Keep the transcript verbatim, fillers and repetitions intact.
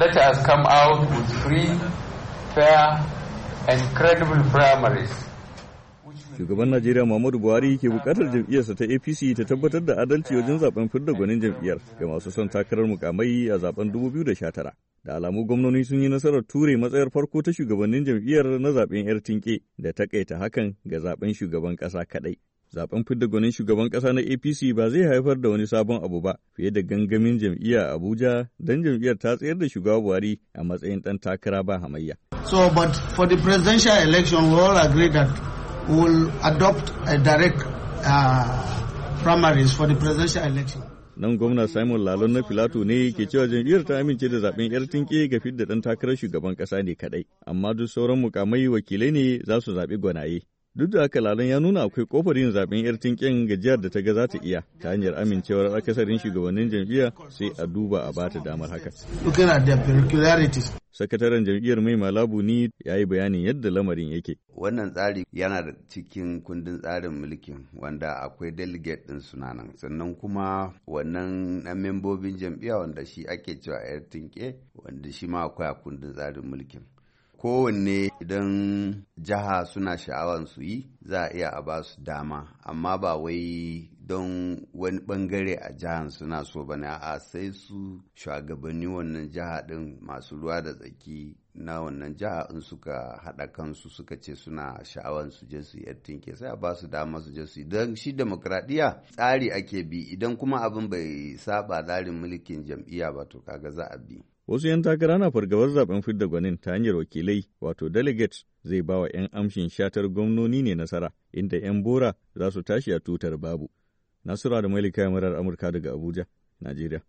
Let us come out with free, fair and credible primaries. Shugaban Najeriya Muhammadu Buhari ke bukatar jam'iyyarsa ta A P C ta tabbatar da adalci wajen zaben fidda gwanin jam'iyyar ga masu son takarar mukamai a zaben dubu biyu da sha tara. Da alamu gwamnoni sun yi nasarar ture matsayar farko ta shugabannin jam'iyyar na zaben 'yar tinke da takaita hakan ga zaben shugaban kasa kadai. Zaben fidda gwanin shugaban kasa na A P C ba zai haifar da wani sabon abu ba fiye da gangamin jam'iyya a Abuja, don jam'iyyar ta tsayar da shugaba Buhari a matsayin ɗan takara ba hamayya. So, but for the presidential election, we all agree that we will adopt a direct uh, primaries for the presidential election. Nan gwamna Simon Lalong na Filato ne ke cewa jam'iyyar ta amince da zaben yar tinke ga fidda ɗan takarar shugaban ƙasa ne kaɗai, amma duk sauran mukamai wakilai ne za su zaɓi gwanaye. Duk da haka, Lalong ya nuna akwai kofar yin zaben yar tinken ga jihar da ta ga za ta iya ta hanyar amincewar akasarin shugabannin jam'iyya, sai a duba a bata damar haka. Looking at their peculiarities. Sakataren jam'iyyar, Mai Mala Buni, ya yi bayanin yadda lamarin yake. Wannan tsari yana da cikin kundin tsarin mulkin, wanda akwai delegate ɗin sunanan, sannan kuma wannan na membobin jam'iyya wanda shi ake cewa yar tinke, wanda shi ma akwai a kundin tsarin mulkin. Kowanne idan jiha suna sha'awan su yi, za a iya a ba su dama, amma ba wai don wani bangare a jihar suna so ba ne, a sai su shugabanni wannan jiha din, masu ruwa da tsaki na wannan jiha, in suka haɗa kansu suka ce suna sha'awan su je su yi tinke, sai a ba su dama su je su yi. Don shi demokradiyya tsari ake bi, idan kuma abin bai saba tsarin mulkin jam'iyya ba, to kaga za a bi. Wasu 'yan takara na fargabar zaben fidda gwanin ta hanyar wakilai, wato delegates, zai ba wa 'yan amshin shatar gwamnoni ne nasara, inda 'yan bora za su tashi a tutar babu. Nasura da Malika, murar Amurka daga Abuja, Najeriya.